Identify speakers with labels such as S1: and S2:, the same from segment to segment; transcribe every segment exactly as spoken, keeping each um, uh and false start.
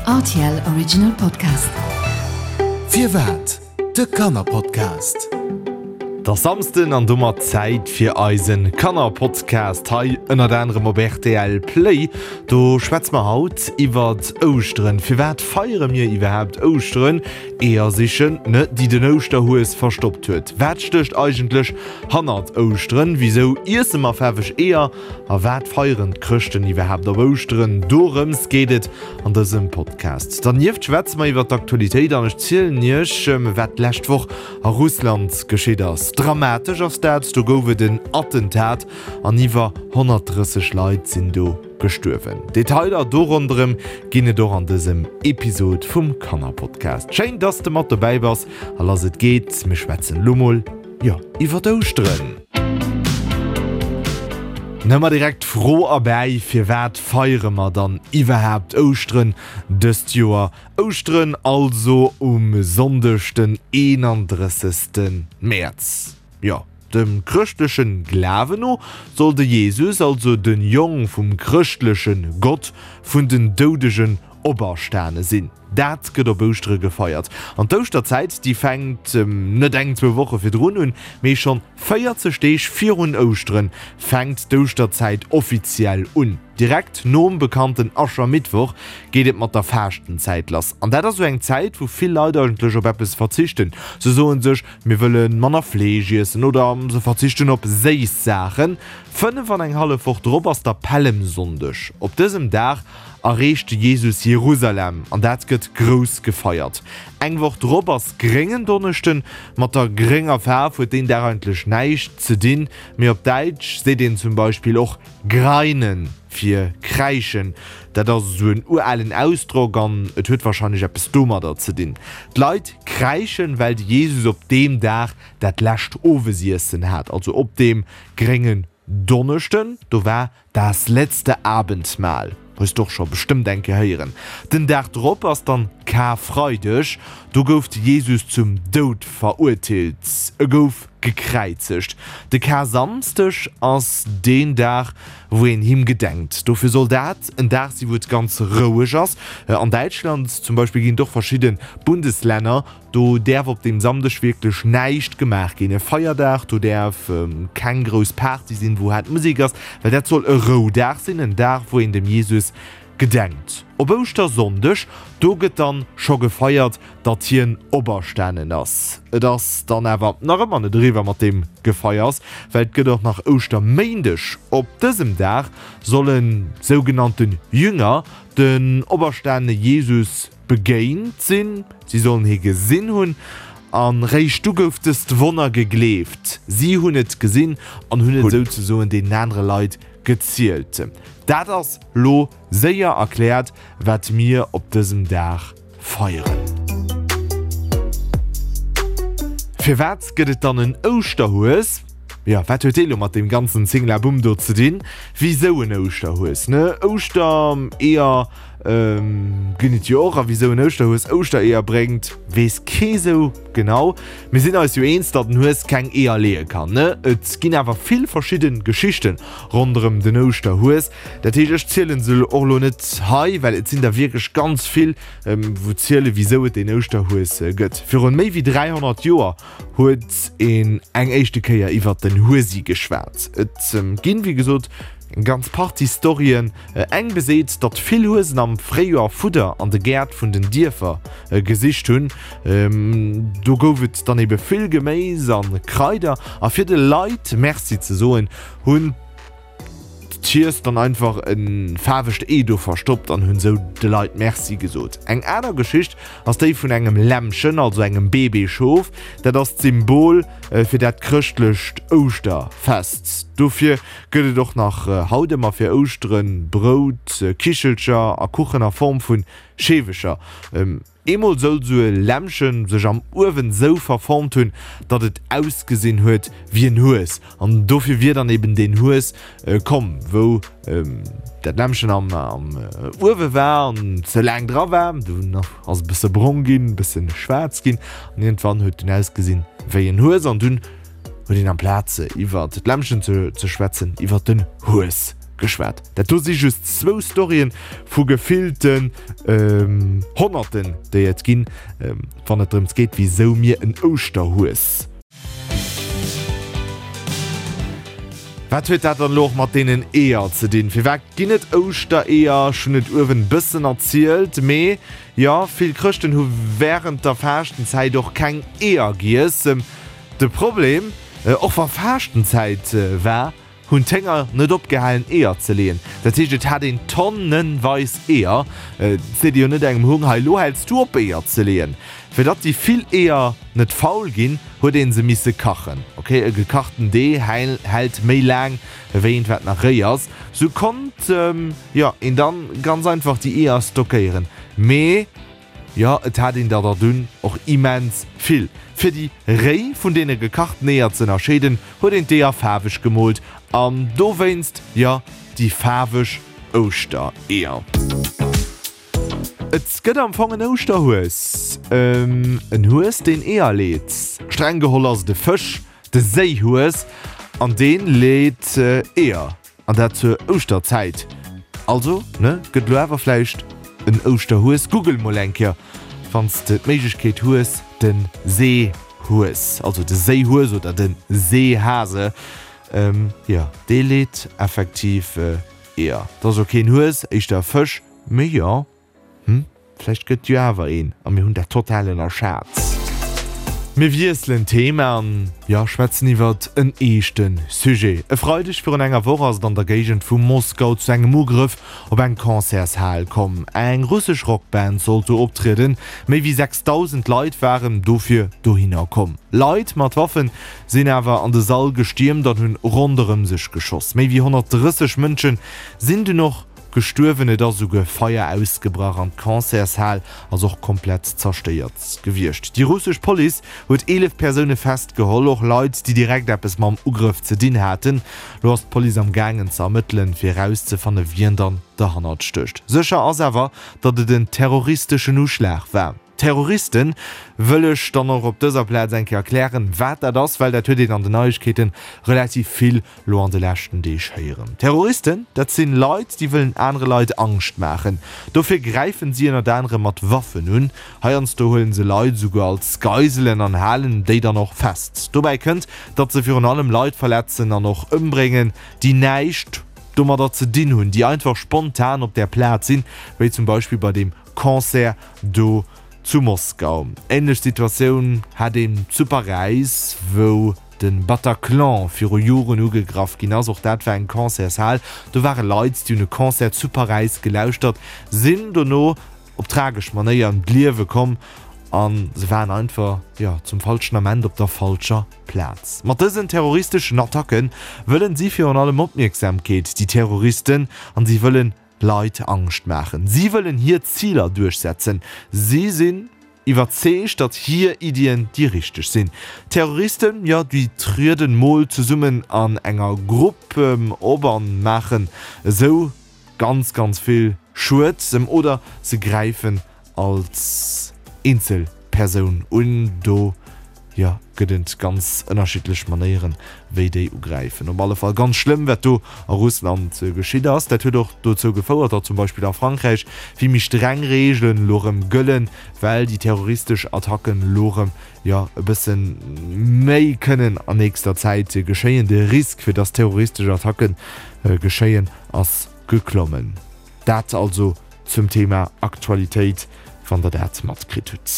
S1: R T L Original Podcast.
S2: Firwat? De Kannerpodcast.
S3: Et ass Samsden an domat Zäit fir eisen Kannerpodcast hei ënnert anerem op R T L Play. Do schwätze mer haut iwwert Ouschteren. Firwat feiere mir iwwerhaapt Ouschteren? Eeër sichen, ne, déi den Ouschterhues verstoppt huet. Wat stécht eigentlech hannert Ouschteren? Wisou iesse mer faarweg Eeër? A wat feieren d'Chrëschten iwwerhaapt op Ouschteren? Dorëms geet et an dësem Podcast. Dernieft schwätze mer iwwer d'Aktualitéit an ech zielen iech, wat d'lescht Woch a Russland geschitt ass. Dramatesch ass dat, do gouf et en Attentat an iwwer honnertdrësseg Leit sinn do gestuerwen. Detailer do ronderëm ginn et och an dësem Episod vum Kannerpodcast. Schéin, dass de mat dobäi bass a lass et geet, mir schwätzen lo mol, jo, iwwer Ouschteren. Nëmmer direkt d'Fro erbäi, Firwat feiere mer dann iwwerhaapt Ouschteren dëst Joer? Ouschteren also um Sonndeg den eenandrëssegste Mäerz. Jo, dem chrëschtleche Glawen no soll de Jesus, also de Jong vum chrëschtleche Gott, vun den Doudegen operstane sinn. Dat gëtt op Ouschtere gefeiert. An d'Ouschterzäit, déi fänkt net eng, zwou Woche virdrun un, mee schonn véierzeg Deeg virun Ouschteren fänkt d'Ouschterzäit offiziell un. Direkt nom bekannten Aschermittwoch geet et mat der Faaschtenzäit lass. An dat ass esou eng Zäit, wou vill Leit eigentlech op eppes verzichten. Se soen sech, mir wëlle manner Fleesch iessen oder se verzichten op séiss Saachen. Fënnef an eng hallef Woch drop ass da Pällemsonndeg. Op dësem Dag erreecht de Jesus Jerusalem an dat gëtt grouss gefeiert. Eng Woch drop ass Gréngendonneschden. Mat der grénger Faarf huet deen Dag eigentlech näischt ze dinn, mee op Däitsch seet een zum Beispill och greinen fir kräischen. Dat ass esou en uralen Ausdrock an et huet warscheinlech eppes domadder ze dinn. D'Leit kräischen, well de Jesus op deem Dag dat lescht Owesiessen hat, also op deem Gréngen Donneschden, do war das letzte Abendmahl. Hues de och scho bestëmmt eng Kéier héieren. Den Dag drop ass dann Karfreideg, do gouf de Jesus zum Doud verurteelt, e gouf gekräizegt. De Karsamsdeg ass deen Dag, wou een him gedenkt. Dofir soll dat en Dag sinn, wou et ganz roueg ass. An Däitschland zum Beispill ginn et och verschidde Bundeslänner, do däerf op deem Samdeg wierklech näischt gemaach ginn, e Feierdag, do däerf keng grouss Party sinn, wou haart Musek ass, well dat soll e Roudag sinn, en Dag, wou een dem Jesus gedenkt. Op Ouschtersonndeg, do gëtt dann scho gefeiert, datt hien operstanen ass. Et ass dann awer nach ëmmer net eriwwer mat deem Gefeiers, well et gëtt och nach Ouschterméindeg. Op dësem Dag solle sougenannte Jünger den operstanene Jesus begéint sinn, si sollen hie gesinn hunn, a réischt du gouf dëst Wonner gegleeft. Si hunn et gesinn an hunn et souzesoen deenen anere Leit gezielt. Dat ass lo séier erkläert, wat mir op dësem Dag feieren. Firwat gëtt et dann en Ouschterhues? Jo, wat huet dee lo mat deem ganzen Zinglabumm do ze dinn? Wisou en Ouschterhues, ne? Ouschtereeër ginn et jo och. A wisou en Ouschterhues Ouschtereeër bréngt, weess kee sou genau. Mir sinn eis jo eens, datt en Hues keng Eeër leeë kann, ne? Et ginn awer vill verschidde Geschichte ronderëm den Ouschterhues. Dat heescht, ech zielen se och lo net hei, well et sinn der wierklech ganz vill, wou ziele wisou et deen Ouschterhues gëtt. Virun méi wéi dräihonnert Joer huet een eng éischte Kéier iwwert den Huesi geschwat. Et ginn, wéi gesot, eng ganz Partie Storyen. Eng beseet, datt vill Huesen am Fréijoer Fudder an de Gäert vun den Dierfer gesicht hunn. Do gouf et dann ebe vill Geméis a Kraider. A fir de Leit Merci ze soen, hunn. D'Hies dann einfach e faarwegt Ee do verstoppt an hunn sou de Leit Merci gesot. Eng aner Geschicht ass déi vun engem Lämmchen, also engem Bébé-Schof. Dat ass d'Symbol fir dat chrëschtlecht Ouschterfest. Dofir gëtt et och nach haut ëmmer fir Ouschteren Brout, Kichelcher a Kuchen a Form vu Scheewecher. Eemol soll sou e Lämmchen sech am Uewen sou verformt hunn, datt et ausgesinn huet wéi en Hues. An dofir wier dann eben deen Hues komm, wou dat Lämmchen am Uewe war an ze laang dra war. Dunn ass e bësse brong ginn, e bësse schwaarz ginn an iergendwann huet en ausgesinn wéi en Hues. An dunn huet een amplaz iwwert d'Lämmchen ze schwätzen, iwwert den Hues geschwat. Dat do si just zwou Storyen vu gefillten Honnerten, déi et ginn, wann et drëms geet, wisou mir en Ouschterhues. Wat huet dat dann elo och mat deenen Eeër ze dinn? Firwat ginn et Ouschtereeër? Ech hunn et uewen e bëssen erzielt, mee jo, vill Chrëschten hu wärend der Faaschtenzäit och keng Eeër giess. De Problem, och wa Faaschtenzäit war, hunn d'Hénger net opgehalen Eeër ze leeën. Dat heescht, et hat een tonnenweis Eeër. Et seet ee jo net engem Hung, hei elo häls du op Eeër ze leeën. Fir datt déi vill Eeër net faul ginn, huet een se misse kachen. Ok, e gekachten Dee hält méi laang ewéi eent wat nach réi ass. Sou konnt, jo, een dann ganz einfach déi Eeër stockéieren. Mee, jo, et hat een der der dunn och immens vill. Fir déi réi vun deene gekachten Eeër ze ënnerscheeden, huet een d'Eeër faarweg gemoolt an dowéinst, jo, déi faarweg Ouschtereeër. Et gëtt am Fong en Ouschterhues, en Hues deen Eeër leet. Streng geholl ass et e Fësch, de Séihues, an dee leet Eeër, an dat zur Ouschterzäit. Also, ne, gëtt elo awer vläicht en Ouschterhues. Google mol eng Kéier, wann s de d'Méiglechkeet hues, de Seehues, also de Séihues oder de Seehase, jo, dee leet effektiv Eeër. Et ass och keen Hues, éischter e Fësch, mee jo. Hm, vläicht gëtt jo awer een a mir hunn dat total ënnerschat. Mir wiesselen d'Thema an, jo, schwätzen iwwert en eeschte Sujet. E Freideg virun enger Woch ass et an der Géigend vu Moskau zu engem Ugrëff op eng Concertshal komm. Eng russesch Rockband sollt do optrieden. Méi wéi sechsdausend Leit waren dofir dohinner komm. Leit mat Waffen sinn awer an de Sall gestiermt an hunn ronderëm sech geschoss. Méi wéi honnertdrësseg Mënsche sinn dunn och Gestuerwen, et ass esouguer Feier ausgebrach an d'Concertshal ass och komplett zerstéiert gewiescht. Déi russesch Police huet eelef Persoune festgeholl, och Leit, déi direkt eppes mam Ugrëff ze dinn haten. Lo ass d'Police am gaangen ze ermëttelen, fir erauszefanne wien dann derhannert stécht. Sécher ass awer, datt et en terroristeschen Uschlag war. Terroristen, wëll ech dann och op dëser Plaz eng Kéier erklären, wat dat ass, well dat huet een an den Neiegkeeten relativ vill lo an de leschten Deeg héieren. Terroristen, dat sinn Leit, déi wëllen anere Leit Angscht maachen. Dofir gräifen si ënnert anerem mat Waffen un. Heiansdo huelen se Leit esouguer als Geiselen an halen déi dann och fest. Dobäi kënnt, datt se virun allem Leit verletzen an och ëmbréngen, déi näischt domadder ze dinn hunn, déi einfach spontan op där Plaz sinn, wéi zum Beispill bei deem Concert do zu Moskau. Änlech Situatioun hat een zu Paräis, wou de Bataclan viru Joren ugegraff ginn ass. Och dat war eng Concertshal. Do ware Leit, déi hunn e Concert zu Paräis gelauschtert, sinn dono op tragesch Manéier ëm d'Liewe komm a se waren einfach, jo, zum falschen Ament op der falscher Plaz. Mat dësen terroristeschen Attacke wëllen si virun allem Opmierksamkeet, déi Terroristen, an si wëllen Leit Angscht maachen. Si wëllen hir Ziler duerchsetzen. Si sinn iwwerzeegt, datt hir Iddien déi richteg sinn. Terroristen, jo, déi trieden mol zesummen an enger Grupp op an maachen esou ganz, ganz vill Schued. Oder se gräifen als Eenzelpersoun un. Do, jo, gëtt et ganz ënnerschiddlech Manéieren, wéi déi ugräifen. Op alle Fall ganz schlëmm, wat do a Russland geschitt ass. Dat huet och dozou gefouert, datt zum Beispill a Frankräich vill méi streng Reegelen elo erëm gëllen, well déi terroristesch Attacken elo erëm, jo, e bësse méi kënnen an nächster Zäit geschéien. De Risk, fir datt terroristesch Attacke geschéien, ass geklommen. Dat also zum Thema Aktualitéit, wann der dat matkritt hutt.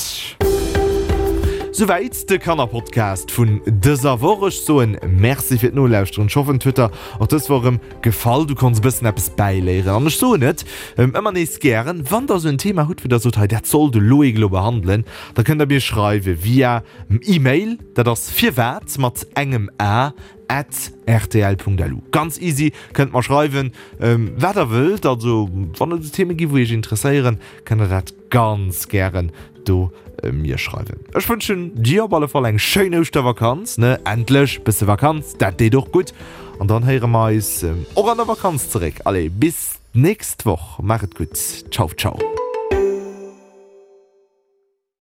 S3: Souwäit de Kannerpodcast vun dëser Woch. Ech soen Merci fir d'Nolauschteren. Ech hoffen et huet der och dës Woch erëm gefall, du konns e bëssen eppes bäiléieren. An ech soen et ëmmer nees gären, wann der esou en Thema hutt, wou der sot, hei dat soll de Loïc elo behandelen, da kënnt der mir schreiwe via E-Mail, dat ass firwat mat engem a at rtl.lu. Ganz easy, kënnt mer schreiwen, wat der wëllt. Also wann et esou Theme gi wou iech interesséieren, kënnt der dat ganz gären do mir schreiwen. Ech wënschen dir op alle Fall eng schéin Ouschtervakanz, ne? Endlech bësse Vakanz, dat deet och gutt. An dann héiere mer eis och an der Vakanz zeréck. Allez, bis d'nächst Woch, maach et gutt, ciao ciao.